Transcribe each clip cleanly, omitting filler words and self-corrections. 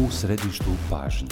U središtu pažnje.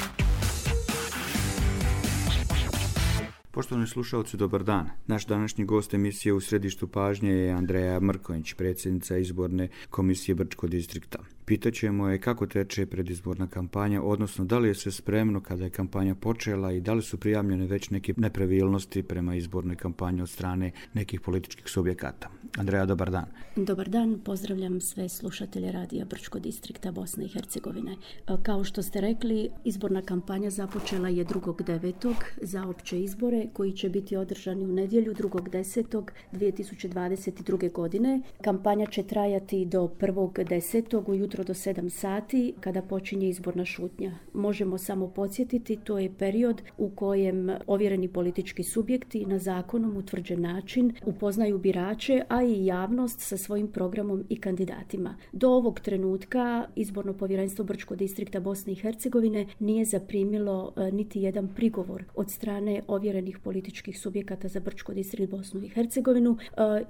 Poštovani slušalci, dobar dan. Naš današnji gost emisije U središtu pažnje je Andreja Mrkonjić, predsjednica izborne komisije Brčkog distrikta. Pitaćemo je kako teče predizborna kampanja, odnosno da li je sve spremno kada je kampanja počela i da li su prijavljene već neke nepravilnosti prema izbornoj kampanji od strane nekih političkih subjekata. Andreja, dobar dan. Dobar dan, pozdravljam sve slušatelje radija Brčkog distrikta Bosne i Hercegovine. Kao što ste rekli, izborna kampanja započela je 2.9. za opće izbore koji će biti održani u nedjelju 2.10.2022. godine. Kampanja će trajati do 1.10. ujutro do 7 sati kada počinje izborna šutnja. Možemo samo podsjetiti, to je period u kojem ovjereni politički subjekti na zakonom utvrđen način upoznaju birače, a i javnost sa svojim programom i kandidatima. Do ovog trenutka izborno povjerenstvo Brčkog distrikta Bosne i Hercegovine nije zaprimilo niti jedan prigovor od strane ovjerenih političkih subjekata za Brčko distrikt Bosnu i Hercegovinu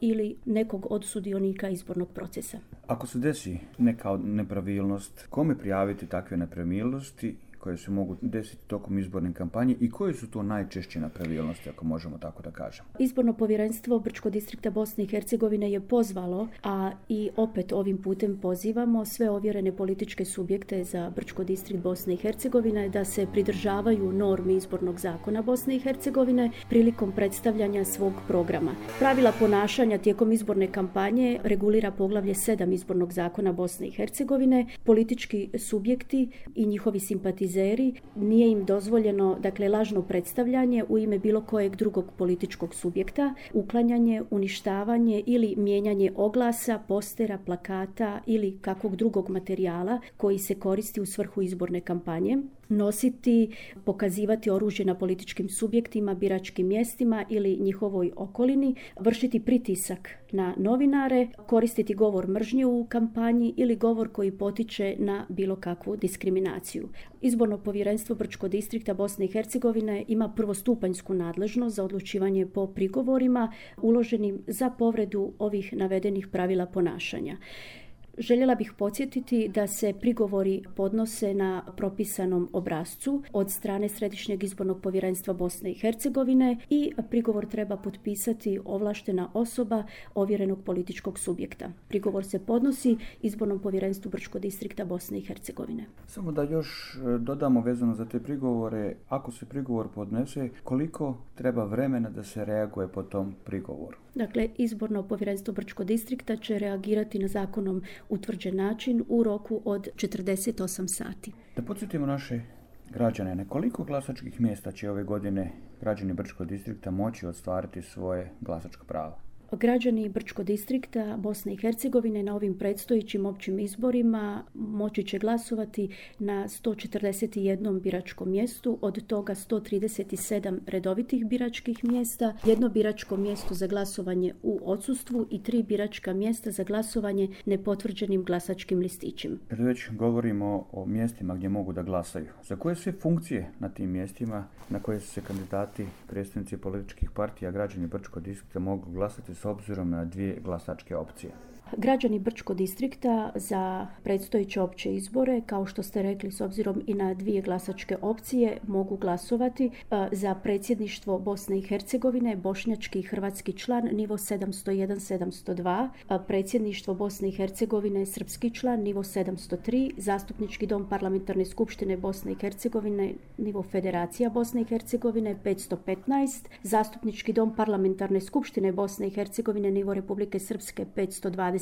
ili nekog od sudionika izbornog procesa. Ako se desi neka nepravilnost, kome prijaviti takve nepravilnosti koje se mogu desiti tokom izborne kampanje i koje su to najčešće nepravilnosti, ako možemo tako da kažemo? Izborno povjerenstvo Brčkog distrikta Bosne i Hercegovine je pozvalo, a i opet ovim putem pozivamo sve ovjerene političke subjekte za Brčko distrikt Bosne i Hercegovine da se pridržavaju normi izbornog zakona Bosne i Hercegovine prilikom predstavljanja svog programa. Pravila ponašanja tijekom izborne kampanje regulira poglavlje 7 izbornog zakona Bosne i Hercegovine. Politički subjekti i njihovi simpatizeri nije im dozvoljeno, lažno predstavljanje u ime bilo kojeg drugog političkog subjekta, uklanjanje, uništavanje ili mijenjanje oglasa, postera, plakata ili kakvog drugog materijala koji se koristi u svrhu izborne kampanje, nositi, pokazivati oružje na političkim subjektima, biračkim mjestima ili njihovoj okolini, vršiti pritisak na novinare, koristiti govor mržnje u kampanji ili govor koji potiče na bilo kakvu diskriminaciju. Izborno povjerenstvo Brčkog distrikta Bosne i Hercegovine ima prvostupanjsku nadležnost za odlučivanje po prigovorima uloženim za povredu ovih navedenih pravila ponašanja. Željela bih podsjetiti da se prigovori podnose na propisanom obrascu od strane Središnjeg izbornog povjerenstva Bosne i Hercegovine i prigovor treba potpisati ovlaštena osoba ovjerenog političkog subjekta. Prigovor se podnosi Izbornom povjerenstvu Brčkog distrikta Bosne i Hercegovine. Samo da još dodamo vezano za te prigovore, ako se prigovor podnese, koliko treba vremena da se reaguje po tom prigovoru? Izborno povjerenstvo Brčkog distrikta će reagirati na zakonom utvrđen način u roku od 48 sati. Da podsjetimo naše građane, na koliko glasačkih mjesta će ove godine građani Brčkog distrikta moći ostvariti svoje glasačko pravo? Građani Brčkog distrikta Bosne i Hercegovine na ovim predstojećim općim izborima moći će glasovati na 141 biračkom mjestu, od toga 137 redovitih biračkih mjesta, jedno biračko mjesto za glasovanje u odsustvu i 3 biračka mjesta za glasovanje nepotvrđenim glasačkim listićima. Kad već govorimo o mjestima gdje mogu da glasaju, za koje sve funkcije na tim mjestima na koje su se kandidati, predstavnici političkih partija, građani Brčkog distrikta mogu glasati s obzirom na 2 glasačke opcije? Građani Brčkog distrikta za predstojeće opće izbore, kao što ste rekli, s obzirom i na 2 glasačke opcije, mogu glasovati za predsjedništvo Bosne i Hercegovine, bošnjački i hrvatski član, nivo 701-702, predsjedništvo Bosne i Hercegovine, srpski član, nivo 703, zastupnički dom parlamentarne skupštine Bosne i Hercegovine, nivo Federacija Bosne i Hercegovine, 515, zastupnički dom parlamentarne skupštine Bosne i Hercegovine, nivo Republike Srpske, 520,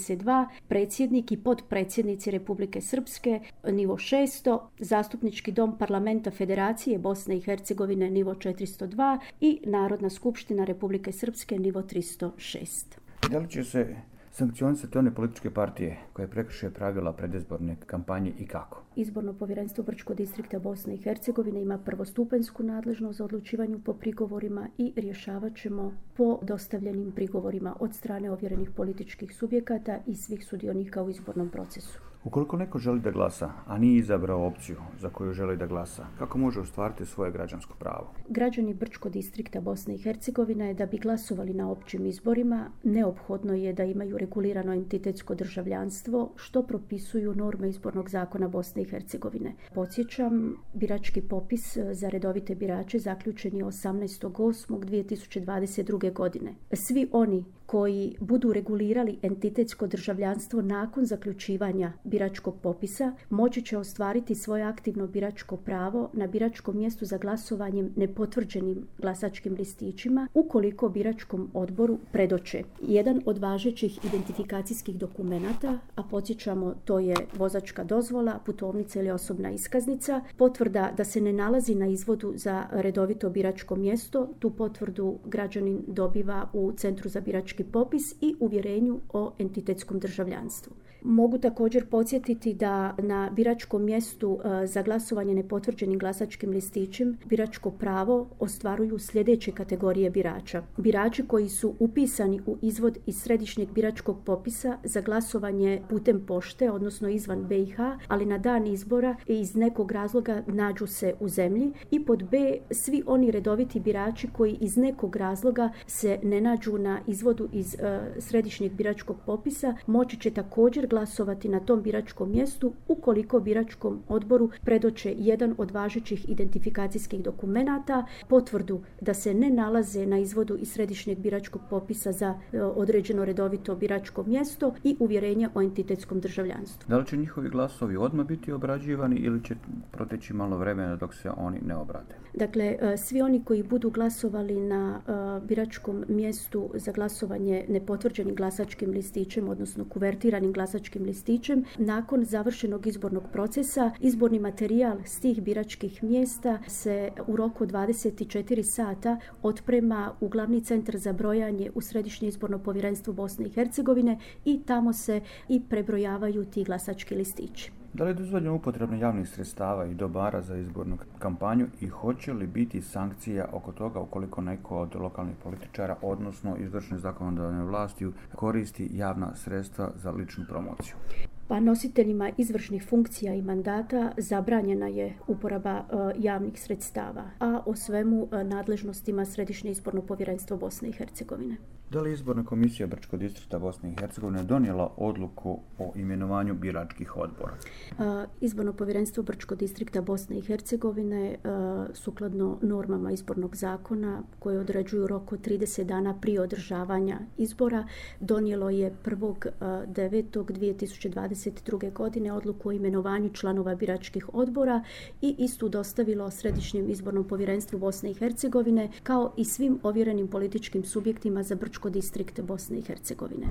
predsjednik i potpredsjednici Republike Srpske, nivo 600, zastupnički dom parlamenta Federacije Bosne i Hercegovine, nivo 402 i Narodna skupština Republike Srpske, nivo 306. Da li će se sankcionisati one političke partije koje prekrše pravila predizborne kampanje i kako? Izborno povjerenstvo Brčkog distrikta Bosne i Hercegovine ima prvostupanjsku nadležnost za odlučivanju po prigovorima i rješavat ćemo po dostavljenim prigovorima od strane ovjerenih političkih subjekata i svih sudionika u izbornom procesu. Ukoliko neko želi da glasa, a nije izabrao opciju za koju želi da glasa, kako može ostvariti svoje građansko pravo? Građani Brčkog distrikta Bosne i Hercegovine da bi glasovali na općim izborima, neophodno je da imaju regulirano entitetsko državljanstvo, što propisuju norme izbornog zakona Bosne i Hercegovine. Podsjećam, birački popis za redovite birače zaključen je 18.8.2022. godine. Svi oni koji budu regulirali entitetsko državljanstvo nakon zaključivanja biračkog popisa moći će ostvariti svoje aktivno biračko pravo na biračkom mjestu za glasovanjem nepotvrđenim glasačkim listićima ukoliko biračkom odboru predoče jedan od važećih identifikacijskih dokumenata, a podsjećamo to je vozačka dozvola, putovnica ili osobna iskaznica, potvrda da se ne nalazi na izvodu za redovito biračko mjesto, tu potvrdu građanin dobiva u Centru za birački popis i uvjerenju o entitetskom državljanstvu. Mogu također podsjetiti da na biračkom mjestu za glasovanje nepotvrđenim glasačkim listićem biračko pravo ostvaruju sljedeće kategorije birača. Birači koji su upisani u izvod iz središnjeg biračkog popisa za glasovanje putem pošte, odnosno izvan BiH, ali na dan izbora iz nekog razloga nađu se u zemlji, i pod B, svi oni redoviti birači koji iz nekog razloga se ne nađu na izvodu iz središnjeg biračkog popisa moći će također glasovati na tom biračkom mjestu ukoliko biračkom odboru predoče jedan od važećih identifikacijskih dokumenata, potvrdu da se ne nalaze na izvodu iz središnjeg biračkog popisa za određeno redovito biračko mjesto i uvjerenje o entitetskom državljanstvu. Da li će njihovi glasovi odmah biti obrađivani ili će proteći malo vremena dok se oni ne obrade? Dakle, svi oni koji budu glasovali na biračkom mjestu za glasovanje nepotvrđenim glasačkim listićem, odnosno kuvertiranim glasačkim listićem, nakon završenog izbornog procesa, izborni materijal s tih biračkih mjesta se u roku od 24 sata otprema u glavni centar za brojanje u Središnje izborno povjerenstvo Bosne i Hercegovine i tamo se i prebrojavaju ti glasački listići. Da li je dozvoljeno upotrebno javnih sredstava i dobara za izbornu kampanju i hoće li biti sankcija oko toga ukoliko neko od lokalnih političara, odnosno izvršne zakonodavne vlasti, koristi javna sredstva za ličnu promociju? Pa nositeljima izvršnih funkcija i mandata zabranjena je uporaba javnih sredstava, a o svemu nadležnostima Središnje izborno povjerenstvo Bosne i Hercegovine. Da li izborna komisija Brčkog distrikta Bosne i Hercegovine donijela odluku o imenovanju biračkih odbora? Izborno povjerenstvo Brčkog distrikta Bosne i Hercegovine sukladno normama izbornog zakona koje određuju rok od 30 dana prije održavanja izbora donijelo je 1.9.2022. godine odluku o imenovanju članova biračkih odbora i istu dostavilo Središnjem izbornom povjerenstvu Bosne i Hercegovine kao i svim ovjerenim političkim subjektima za Brčko distrikt Bosne i Hercegovine.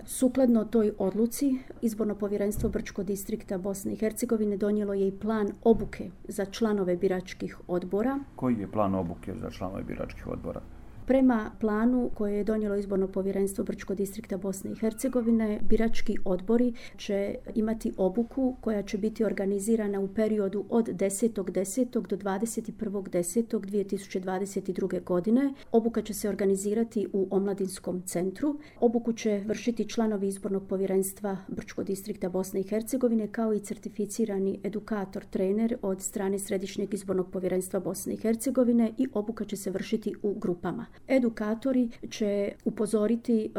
Sukladno toj odluci, Izborno povjerenstvo Brčko distrikta Bosne i Hercegovine donijelo je i plan obuke za članove biračkih odbora. Koji je plan obuke za članove biračkih odbora? Prema planu koje je donijelo Izborno povjerenstvo Brčko distrikta Bosne i Hercegovine, birački odbori će imati obuku koja će biti organizirana u periodu od 10.10. do 21.10.2022. godine. Obuka će se organizirati u Omladinskom centru. Obuku će vršiti članovi Izbornog povjerenstva Brčko distrikta Bosne i Hercegovine kao i certificirani edukator, trener od strane Središnjeg izbornog povjerenstva Bosne i Hercegovine i obuka će se vršiti u grupama. Edukatori će upozoriti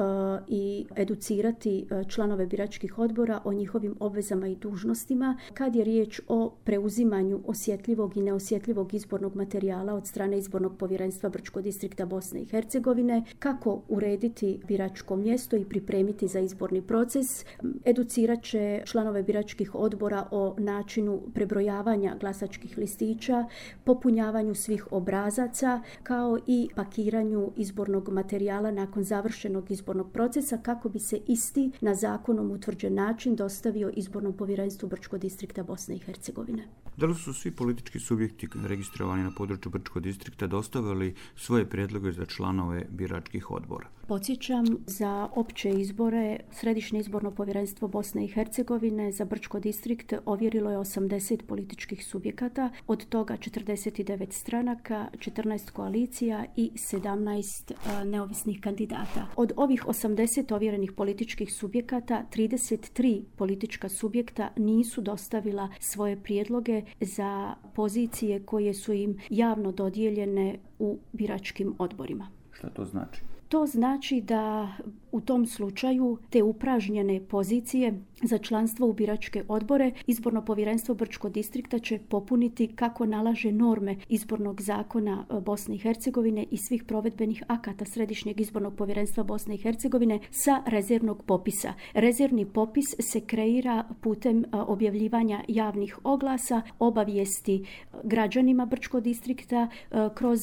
i educirati članove biračkih odbora o njihovim obvezama i dužnostima kad je riječ o preuzimanju osjetljivog i neosjetljivog izbornog materijala od strane Izbornog povjerenstva Brčko distrikta Bosne i Hercegovine, kako urediti biračko mjesto i pripremiti za izborni proces. Educirat će članove biračkih odbora o načinu prebrojavanja glasačkih listića, popunjavanju svih obrazaca, kao i pakiranju izbornog materijala nakon završenog izbornog procesa kako bi se isti na zakonom utvrđen način dostavio Izbornom povjerenstvu Brčko distrikta Bosne i Hercegovine. Da li su svi politički subjekti registrovani na području Brčkog distrikta dostavili svoje prijedloge za članove biračkih odbora? Podsjećam, za opće izbore Središnje izborno povjerenstvo Bosne i Hercegovine za Brčko distrikt ovjerilo je 80 političkih subjekata, od toga 49 stranaka, 14 koalicija i 17 17 neovisnih kandidata. Od ovih 80 ovjerenih političkih subjekata, 33 politička subjekta nisu dostavila svoje prijedloge za pozicije koje su im javno dodijeljene u biračkim odborima. Šta to znači? To znači da u tom slučaju te upražnjene pozicije za članstvo u biračke odbore Izborno povjerenstvo Brčkog distrikta će popuniti kako nalaže norme Izbornog zakona Bosne i Hercegovine i svih provedbenih akata Središnjeg izbornog povjerenstva Bosne i Hercegovine sa rezervnog popisa. Rezervni popis se kreira putem objavljivanja javnih oglasa, obavijesti građanima Brčkog distrikta kroz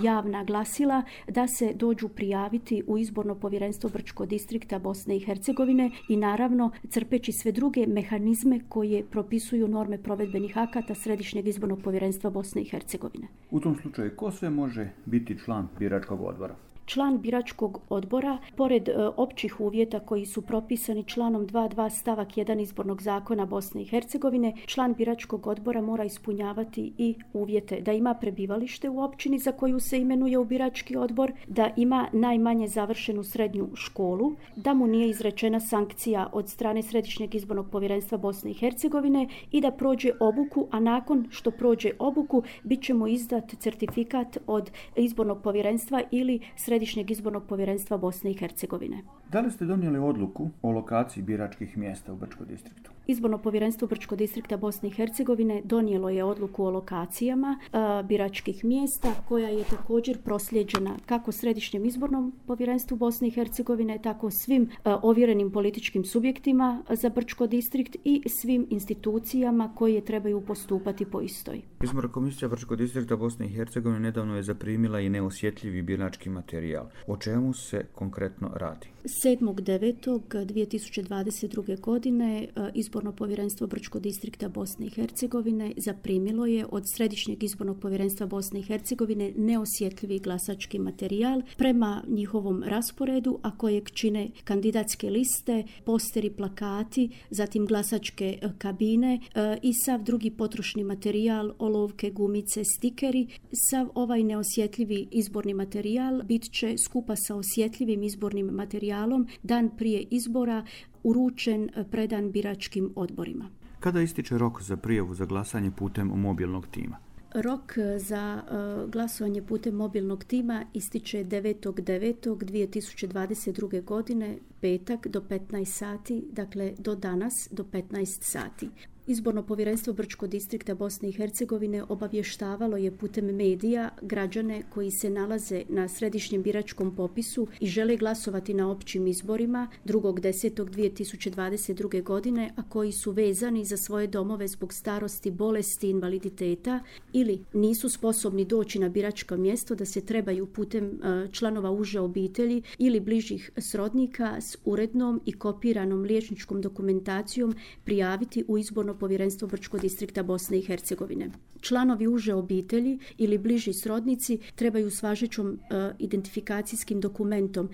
javna glasila da se dođu prijaviti u Izborno povjerenstvo Brčkog distrikta Bosne i Hercegovine i naravno crpeći sve druge mehanizme koje propisuju norme provedbenih akata Središnjeg izbornog povjerenstva Bosne i Hercegovine. U tom slučaju ko sve može biti član biračkog odbora? Član biračkog odbora, pored općih uvjeta koji su propisani članom 2.2 stavak 1 Izbornog zakona Bosne i Hercegovine, član biračkog odbora mora ispunjavati i uvjete da ima prebivalište u općini za koju se imenuje u birački odbor, da ima najmanje završenu srednju školu, da mu nije izrečena sankcija od strane Središnjeg izbornog povjerenstva Bosne i Hercegovine i da prođe obuku, a nakon što prođe obuku bit će mu izdat certifikat od izbornog povjerenstva ili Središnjeg izbornog povjerenstva Bosne i Hercegovine. Da li ste donijeli odluku o lokaciji biračkih mjesta u Brčkom distriktu? Izborno povjerenstvo Brčkog distrikta Bosne i Hercegovine donijelo je odluku o lokacijama biračkih mjesta koja je također proslijeđena kako Središnjem izbornom povjerenstvu Bosne i Hercegovine, tako svim ovjerenim političkim subjektima za Brčko distrikt i svim institucijama koje trebaju postupati po istoj. Izborna komisija Brčkog distrikta Bosne i Hercegovine nedavno je zaprimila i neosjetljivi birački materijal. O čemu se konkretno radi? 7.9.2022. godine Izborno povjerenstvo Brčkog distrikta Bosne i Hercegovine zaprimilo je od Središnjeg izbornog povjerenstva Bosne i Hercegovine neosjetljivi glasački materijal prema njihovom rasporedu, a kojeg čine kandidatske liste, posteri, plakati, zatim glasačke kabine i sav drugi potrošni materijal, olovke, gumice, stikeri. Sav ovaj neosjetljivi izborni materijal bit će skupa sa osjetljivim izbornim materijalom dan prije izbora uručen, predan biračkim odborima. Kada ističe rok za prijavu za glasanje putem mobilnog tima? Rok za glasovanje putem mobilnog tima ističe 9.9.2022. godine, petak do 15 sati, dakle do danas do 15 sati. Izborno povjerenstvo Brčkog distrikta Bosne i Hercegovine obavještavalo je putem medija građane koji se nalaze na središnjem biračkom popisu i žele glasovati na općim izborima 2.10.2022. godine, a koji su vezani za svoje domove zbog starosti, bolesti, invaliditeta ili nisu sposobni doći na biračko mjesto, da se trebaju putem članova uže obitelji ili bližih srodnika s urednom i kopiranom liječničkom dokumentacijom prijaviti u Izborno povjerenstvo Brčkog distrikta Bosne i Hercegovine. Članovi uže obitelji ili bliži srodnici trebaju s važećom identifikacijskim dokumentom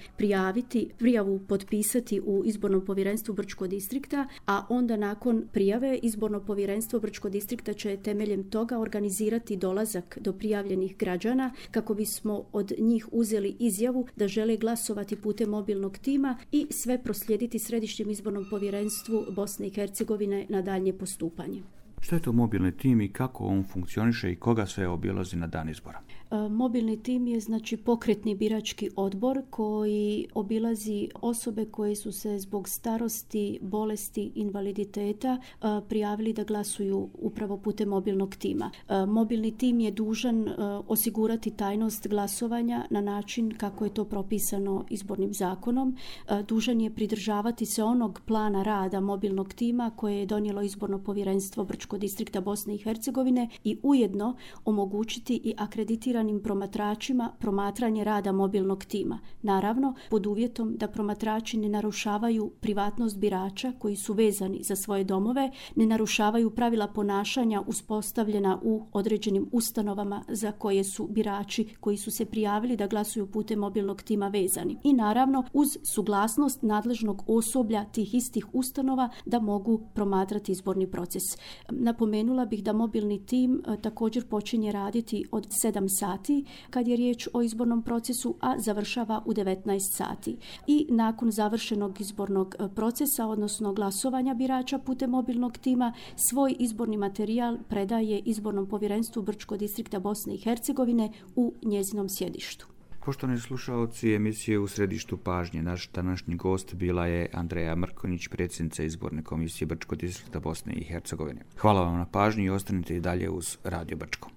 prijavu potpisati u Izbornom povjerenstvu Brčkog distrikta, a onda nakon prijave Izborno povjerenstvo Brčkog distrikta će temeljem toga organizirati dolazak do prijavljenih građana kako bismo od njih uzeli izjavu da žele glasovati putem mobilnog tima i sve proslijediti Središnjem izbornom povjerenstvu Bosne i Hercegovine na daljnje postupanje. Što je to mobilni tim i kako on funkcioniše i koga sve obilazi na dan izbora? Mobilni tim je pokretni birački odbor koji obilazi osobe koje su se zbog starosti, bolesti, invaliditeta prijavili da glasuju upravo putem mobilnog tima. Mobilni tim je dužan osigurati tajnost glasovanja na način kako je to propisano izbornim zakonom. Dužan je pridržavati se onog plana rada mobilnog tima koje je donijelo Izborno povjerenstvo Brčkog distrikta Bosne i Hercegovine i ujedno omogućiti i akreditiranim promatračima promatranje rada mobilnog tima. Naravno, pod uvjetom da promatrači ne narušavaju privatnost birača koji su vezani za svoje domove, ne narušavaju pravila ponašanja uspostavljena u određenim ustanovama za koje su birači koji su se prijavili da glasuju putem mobilnog tima vezani. I naravno, uz suglasnost nadležnog osoblja tih istih ustanova da mogu promatrati izborni proces. Napomenula bih da mobilni tim također počinje raditi od 7 sati kad je riječ o izbornom procesu, a završava u 19 sati. I nakon završenog izbornog procesa, odnosno glasovanja birača putem mobilnog tima, svoj izborni materijal predaje Izbornom povjerenstvu Brčkog distrikta Bosne i Hercegovine u njezinom sjedištu. Poštovani slušalci emisije U središtu pažnje, naš današnji gost bila je Andreja Mrkonjić, predsjednica Izborne komisije Brčkog distrikta Bosne i Hercegovine. Hvala vam na pažnji i ostanite i dalje uz Radio Brčko.